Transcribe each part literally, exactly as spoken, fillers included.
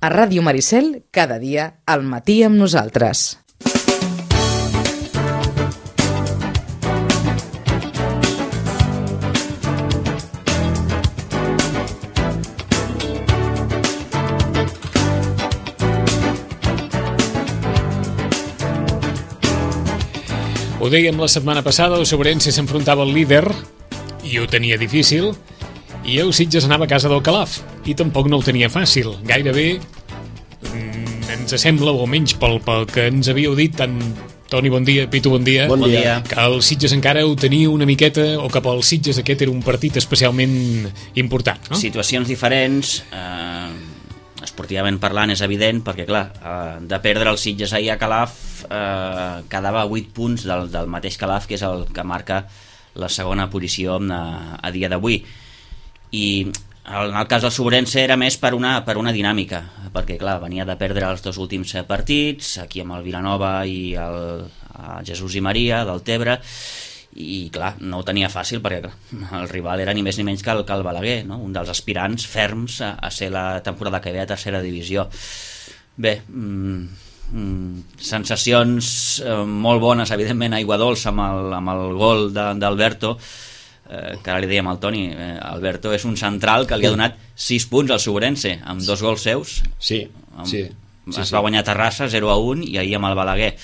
A Ràdio Maricel, cada dia al matí amb nosaltres. Ho dèiem la setmana passada, el Sobrense s'enfrontava al líder i ho tenia difícil, i el Sitges anava a casa del Calaf i tampoc no ho tenia fàcil. Gairebé mm, ens sembla, o almenys pel, pel que ens havíeu dit tant Toni, bon dia, Pitu, bon dia, bon dia, que el Sitges encara ho tenia una miqueta, o cap al Sitges aquest era un partit especialment important, no? Situacions diferents, eh, esportivament parlant és evident, perquè clar, eh, de perdre el Sitges ahir a Calaf eh, quedava vuit punts del, del mateix Calaf, que és el que marca la segona posició a, a dia d'avui. I en el cas del Sobrense era més per una, per una dinàmica, perquè clar, venia de perdre els dos últims partits, aquí amb el Vilanova i el, el Jesús i Maria del Tebre, i clar, no ho tenia fàcil, perquè clar, el rival era ni més ni menys que el, que el Balaguer, no? Un dels aspirants ferms a, a ser la temporada que ve a tercera divisió. Bé, mm, mm, sensacions eh, molt bones, evidentment, aigua dolça amb el, amb el gol d'Alberto, eh, que ara li dèiem al Toni, eh, Alberto és un central que li ha donat sis punts al Sobrense, amb dos gols seus. Sí, amb, sí. Es sí, sí. va guanyar a Terrassa zero a un i ahir amb el Balaguer.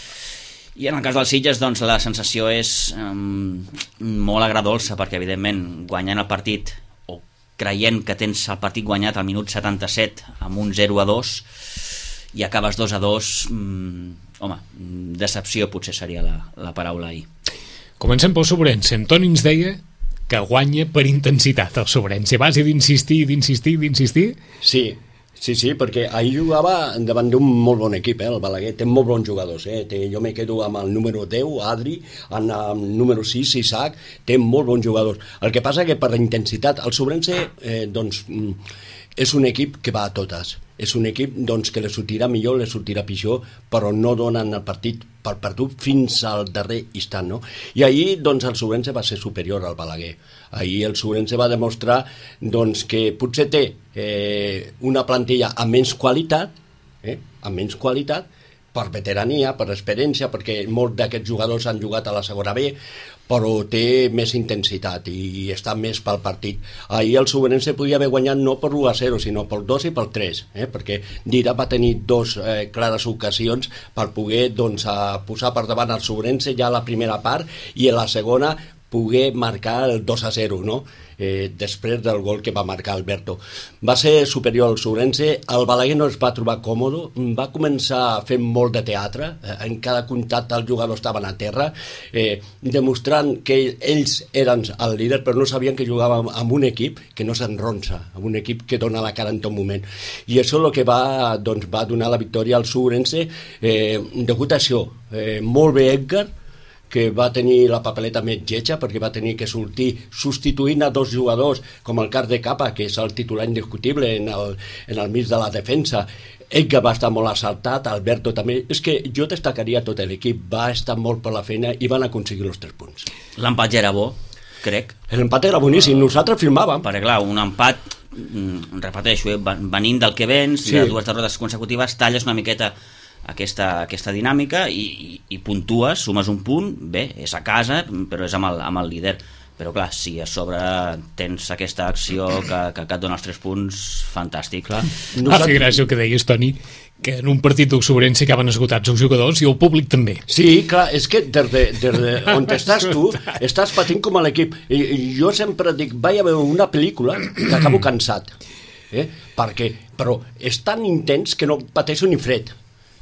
I en el cas dels Sitges, doncs, la sensació és um, molt agradolça, perquè evidentment guanyant el partit o creient que tens el partit guanyat al minut setanta-set amb un zero a dos i acabes dos a dos, um, home, decepció potser seria la, la paraula ahir. Comencem pel Sobrense. En Toni ens deia que guanya per intensitat el Sobrense, a base d'insistir, d'insistir, d'insistir. Sí, sí, sí, perquè ahir jugava davant d'un molt bon equip, eh? El Balaguer té molt bons jugadors, eh? Té, jo me quedo amb el número deu, Adri, amb el número sis, Isaac, té molt bons jugadors. El que passa que per la intensitat, el Sobrense, eh, doncs, és un equip que va a totes. És un equip doncs, que li sortirà millor, li sortirà pitjor, però no donen el partit per perdut fins al darrer instant, no? I ahir doncs, el Sobrense va ser superior al Balaguer. Ahir el Sobrense va demostrar doncs, que potser té eh, una plantilla amb menys qualitat, eh, amb menys qualitat, per veterania, per experiència, perquè molts d'aquests jugadors han jugat a la segona B, però té més intensitat i està més pel partit. Ahir el Sobrense podia haver guanyat no per u a zero, sinó pel dos i pel tres, eh? Perquè Dira va tenir dos eh, clares ocasions per poder doncs, a posar per davant el Sobrense ja a la primera part i a la segona poder marcar el dos a zero, no? Eh, després del gol que va marcar Alberto. Va ser superior al Sobrense, el Balaguer no es va trobar còmode, va començar a fer molt de teatre, eh, en cada contacte els jugadors estaven a terra, eh, demostrant que ells eren el líder, però no sabien que jugàvem amb un equip que no s'enronsa, amb un equip que dona la cara en tot moment. I això és el que va, doncs, va donar la victòria al Sobrense, eh, degut a això. Eh, molt bé Edgar, que va tenir la papeleta més lletja perquè va tenir que sortir substituint a dos jugadors com el cas de Capa, que és el titular indiscutible en el, en el mig de la defensa. Edgar va estar molt assaltat, Alberto també. És que jo destacaria tot l'equip, va estar molt per la feina i van aconseguir els tres punts. L'empat ja era bo, crec. L'empat era boníssim, nosaltres firmàvem. Perquè clar, un empat, repeteixo, eh, venint del que vens, sí. De dues derrotes consecutives, talles una miqueta aquesta, aquesta dinàmica i, i, i puntues, sumes un punt, bé, és a casa, però és amb el, amb el líder. Però clar, si a sobre tens aquesta acció que, que, que et dona els tres punts, fantàstic. Clar. Ah, fer gràcia el que deies, Toni, que en un partit del Sobrense acaben esgotats els jugadors i el públic també. Sí, clar, és que des de, des de on estàs tu, estàs patint com a l'equip. I, i jo sempre dic, vaig a veure una pel·lícula que acabo cansat. Eh? Perquè, però és tan intens que no pateixo ni fred,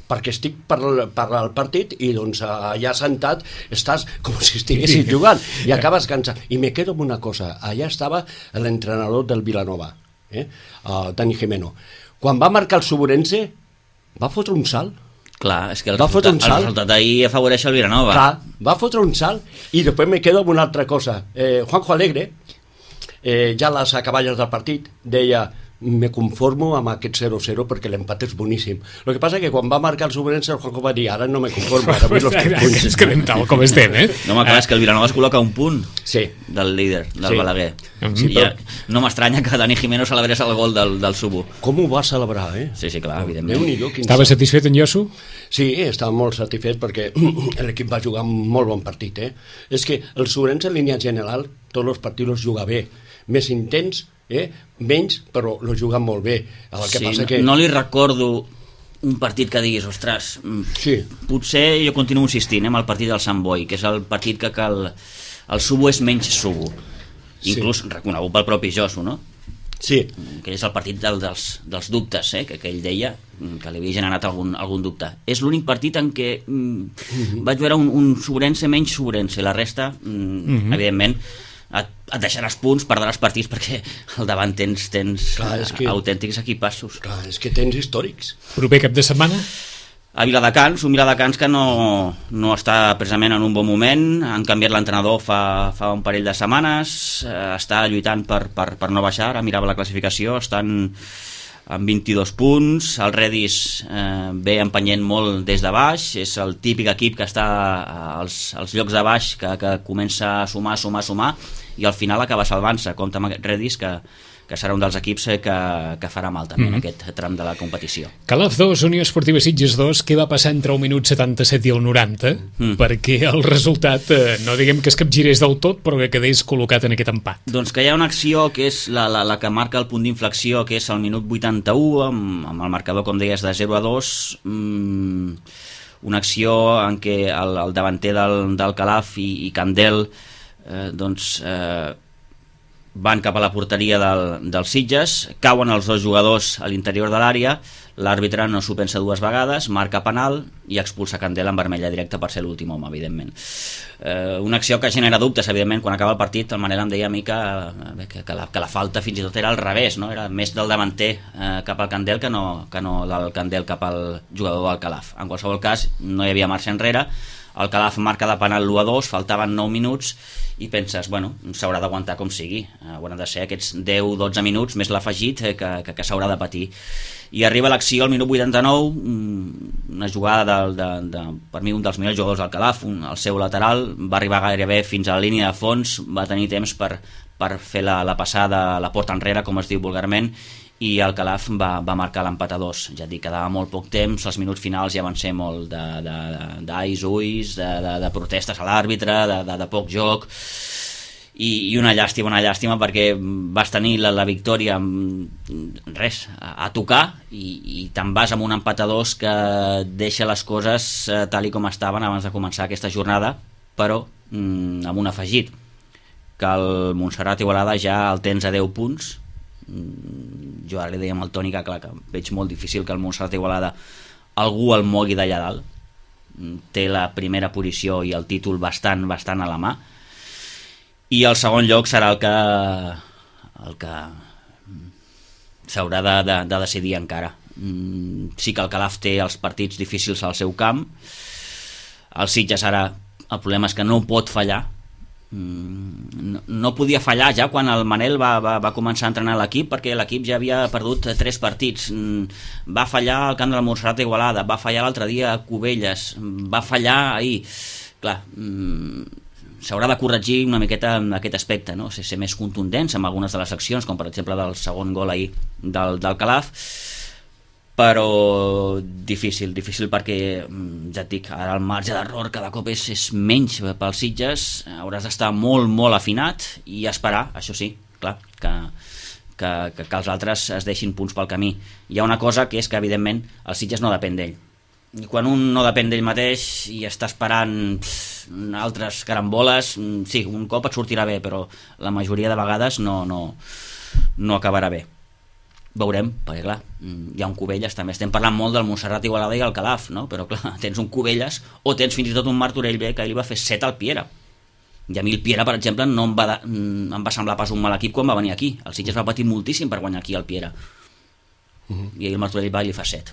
perquè estic per, per al partit i doncs allà sentat estàs com si estiguessis jugant i acabes cansat. I me quedo amb una cosa, allà estava l'entrenador del Vilanova, eh? El Dani Jimeno. Quan va marcar el Sobrense va fotre un salt. Clar, és que el va resultat, el resultat d'ahir afavoreix el Vilanova. Clar, va fotre un salt i després me quedo amb una altra cosa. Eh, Juanjo Alegre, eh, ja a les acaballes del partit, deia me conformo amb aquest zero zero perquè l'empat és boníssim. El que passa que quan va marcar el Sobrense, el Juanjo va dir, ara no me conformo, ara vull los tres punts. Ens quedem tal com estem, eh? No, home, clar, és que el Vilanova es col·loca un punt sí. del líder, del Sí. Balaguer. Sí, I ja, no m'estranya que Dani Jiménez celebrés el gol del, del Subo. Com ho va celebrar, eh? Sí, sí, clar, evidentment. Déu-n'hi-do, quin Estava satisfet en Josu? Sí, estava molt satisfet perquè l'equip va jugar un molt bon partit. Eh? És que el Sobrense en línia general tots els partits els juga bé, més intens, eh? menys, però els juguen molt bé. El que Sí, passa que... no li recordo un partit que diguis, ostres, mm, Sí. potser jo continuo insistint eh, amb el partit del Sant Boi, que és el partit que, que el, el Subo és menys Subo, inclús sí. reconegut pel propi Josu, no? Sí, Que és el partit del, dels, dels dubtes, eh, que, que ell deia que li havia generat algun, algun dubte. És l'únic partit en què mm, mm-hmm. vaig veure un, un Sobrense menys Sobrense, la resta, mm, mm-hmm. evidentment, et, et deixaràs punts, perdràs partits perquè al davant tens, tens Clar, és que- autèntics equipassos. clar, és que tens històrics. Proper cap de setmana? A Viladecans, un Viladecans que no, no està precisament en un bon moment, han canviat l'entrenador fa, fa un parell de setmanes, eh, està lluitant per, per, per no baixar, ara mirava la classificació, estan amb vint-i-dos punts, el Redis eh, ve empenyent molt des de baix, és el típic equip que està als, als llocs de baix, que, que comença a sumar, sumar, sumar, i al final acaba salvant-se, compta amb aquest Redis que, que serà un dels equips eh, que, que farà mal també mm-hmm. en aquest tram de la competició. Calaf dos, Unió Esportiva Sitges dos, què va passar entre el minut setanta-set i el noranta? Mm. Perquè el resultat, eh, no diguem que es capgirés del tot, però que quedés col·locat en aquest empat. Doncs que hi ha una acció que és la, la, la que marca el punt d'inflexió, que és el minut vuitanta-u, amb, amb el marcador, com deies, de zero a dos, mmm, una acció en què el, el davanter del, del Calaf i, i Candel eh, doncs eh, van cap a la porteria del, dels Sitges, cauen els dos jugadors a l'interior de l'àrea, l'àrbitre no s'ho pensa dues vegades, marca penal i expulsa Candela en vermella directa per ser l'últim home, evidentment. Eh, una acció que genera dubtes, evidentment. Quan acaba el partit, el Manel em deia a mi que, que, que, la, que la falta fins i tot era al revés, no? Era més del davanter eh, cap al Candel que no, que no del Candel cap al jugador del Calaf. En qualsevol cas, no hi havia marxa enrere, el Calaf marca de penal l'u a dos, faltaven nou minuts i penses, bueno, s'haurà d'aguantar com sigui, hauran de ser aquests deu dotze minuts més l'afegit que, que, que s'haurà de patir. I arriba l'acció al minut vuitanta-nou, una jugada de, de, de, per mi un dels millors jugadors del Calaf, un, el seu lateral, va arribar gairebé fins a la línia de fons, va tenir temps per, per fer la, la passada a la porta enrere, com es diu vulgarment, i el Calaf va, va marcar l'empat a dos. Ja et dic, quedava molt poc temps, els minuts finals ja van ser molt d'ais, ulls, de, de, de protestes a l'àrbitre, de, de, de poc joc, i, i una llàstima, una llàstima perquè vas tenir la, la victòria amb res, a, a tocar, i, i te'n vas amb un empat a dos que deixa les coses eh, tal i com estaven abans de començar aquesta jornada, però mm, amb un afegit, que el Montserrat Igualada ja el tens a deu punts. Jo ara li deia amb el Toni que clar, que veig molt difícil que el Montserrat Igualada algú el mogui d'allà dalt, té la primera posició i el títol bastant, bastant a la mà, i el segon lloc serà el que el que s'haurà de, de, de decidir encara. Sí que el Calaf té els partits difícils al seu camp, el Sitges ara el problema és que no pot fallar. No, no podia fallar ja quan el Manel va, va, va començar a entrenar l'equip, perquè l'equip ja havia perdut tres partits. Va fallar al camp del Montserrat Igualada, va fallar l'altre dia a Cubelles, va fallar ahir. Clar, s'haurà de corregir una miqueta en aquest aspecte, no? Ser més contundents amb algunes de les accions, com per exemple del segon gol ahir del, del Calaf, però difícil, difícil perquè, ja et dic, ara el marge d'error cada cop és, és menys pels Sitges, hauràs d'estar molt, molt afinat i esperar, això sí, clar, que, que, que, que els altres es deixin punts pel camí. Hi ha una cosa que és que, evidentment, el Sitges no depèn d'ell. I quan un no depèn d'ell mateix i està esperant pff, altres caramboles, sí, un cop et sortirà bé, però la majoria de vegades no, no, no acabarà bé. Veurem, perquè clar, hi ha un Cubelles, també estem parlant molt del Montserrat Igualada i el Calaf, no? Però clar, tens un Cubelles o tens fins i tot un Martorell B que li va fer set al Piera, i a mi el Piera, per exemple, no em va, em va semblar pas un mal equip quan va venir aquí. El Sitges va patir moltíssim per guanyar aquí el Piera, uh-huh. i el Martorell va i li fa set.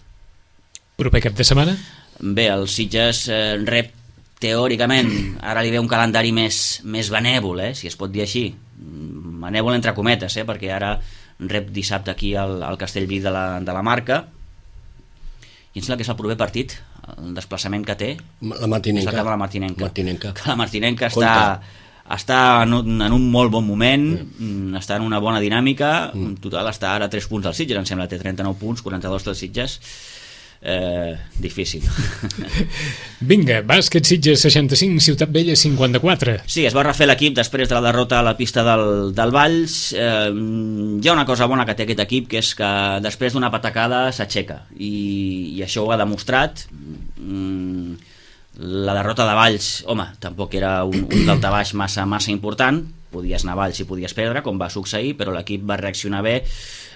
Proper cap de setmana? Bé, el Sitges eh, rep teòricament, ara li ve un calendari més, més benèvol, eh, si es pot dir així, benèvol entre cometes, eh, perquè ara rep dissabte aquí al, al Castellví de la, de la Marca, i em sembla que és el proper partit, el desplaçament que té la Martinenca, és la cara de la Martinenca, Martinenca. que la Martinenca està, està en, un, en un molt bon moment, mm. està en una bona dinàmica, mm. en total està ara a tres punts del Sitges, em sembla, té trenta-nou punts, quaranta-dos del Sitges. Eh, difícil. Vinga, bàsquet Sitges seixanta-cinc, Ciutat Vella cinquanta-quatre. Sí, es va refer l'equip després de la derrota a la pista del, del Valls. Eh, hi ha una cosa bona que té aquest equip, que és que després d'una patacada s'aixeca, i, i això ho ha demostrat. Mm, la derrota de Valls, home, tampoc era un, un daltabaix massa, massa important, podies anar a Valls i podies perdre, com va succeir, però l'equip va reaccionar bé.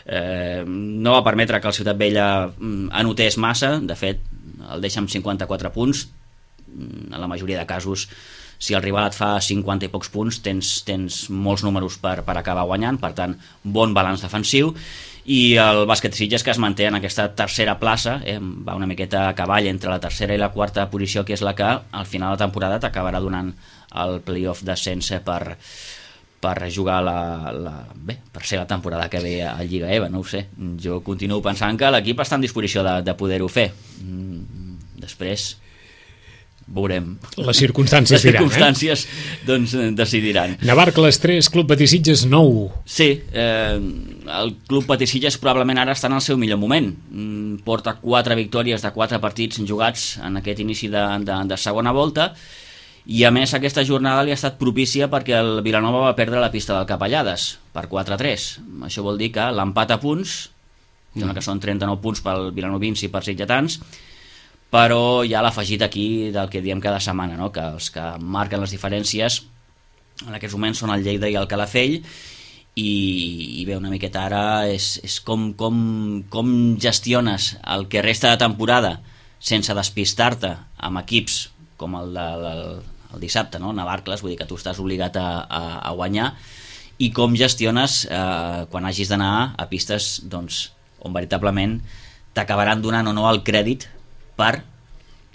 Eh, no va permetre que el Ciutat Vella anotés massa, de fet el deixa amb cinquanta-quatre punts. En la majoria de casos, si el rival et fa cinquanta i pocs punts, tens, tens molts números per, per acabar guanyant, per tant bon balanç defensiu. I el bàsquet Sitges, que es manté en aquesta tercera plaça, eh, va una miqueta a cavall entre la tercera i la quarta posició, que és la que al final de temporada t'acabarà donant el playoff d'ascens per per jugar la, la, bé, per ser la temporada que ve a Lliga E V A, no ho sé. Jo continuo pensant que l'equip està en disposició de, de poder-ho fer. Després veurem. Les circumstàncies Les diran, circumstàncies eh? doncs decidiran. Navarcles tres, Club Patí Sitges nou. Sí, eh, el Club Patí Sitges probablement ara està en el seu millor moment. Porta quatre victòries de quatre partits jugats en aquest inici de, de, de segona volta, i a més aquesta jornada li ha estat propícia perquè el Vilanova va perdre la pista del Capellades per quatre a tres. Això vol dir que l'empat a punts, mm. que són trenta-nou punts pel vilanovins i per sitgetans, però hi ha l'afegit aquí del que diem cada setmana, no? Que els que marquen les diferències en aquests moments són el Lleida i el Calafell, i, i bé, una miqueta ara és, és com, com, com gestiones el que resta de temporada sense despistar-te amb equips com el de, el, el dissabte, no? Navarcles, vull dir que tu estàs obligat a, a, a guanyar, i com gestiones eh, quan hagis d'anar a pistes doncs, on veritablement t'acabaran donant o no el crèdit per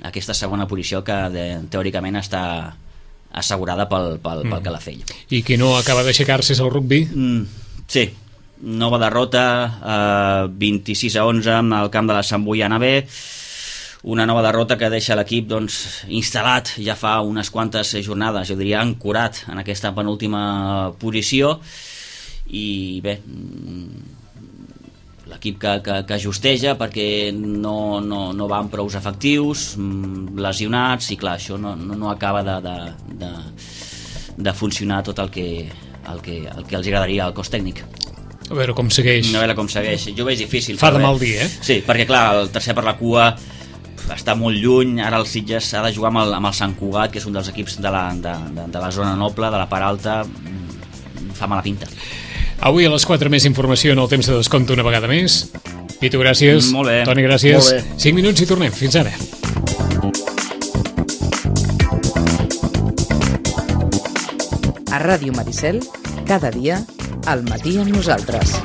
aquesta segona posició que de, teòricament està assegurada pel, pel, pel Calafell. I qui no acaba d'aixecar-se és el rugbi? Mm, sí, nova derrota, eh, vint-i-sis a onze amb el camp de la Sant Boiana B, una nova derrota que deixa l'equip doncs, instal·lat ja fa unes quantes jornades, jo diria ancorat en aquesta penúltima posició, i bé, l'equip que, que, que ajusteja perquè no, no, no va amb prous efectius, lesionats, i clar, això no, no, no acaba de, de, de, de funcionar tot el que, el, que, el que els agradaria al cos tècnic. A veure com segueix. A veure com segueix. Jo ho veig difícil. Fa de mal dir, eh? Sí, perquè clar, el tercer per la cua està molt lluny, ara el Sitges ha de jugar amb el, amb el Sant Cugat, que és un dels equips de la, de, de, de la zona noble, de la part alta, fa mala pinta. Avui a les quatre més informació en el temps de descompte una vegada més. Pitu, gràcies. Molt bé. Toni, gràcies. Molt bé. cinc minuts i tornem. Fins ara. A Ràdio Maricel, cada dia, al matí amb nosaltres.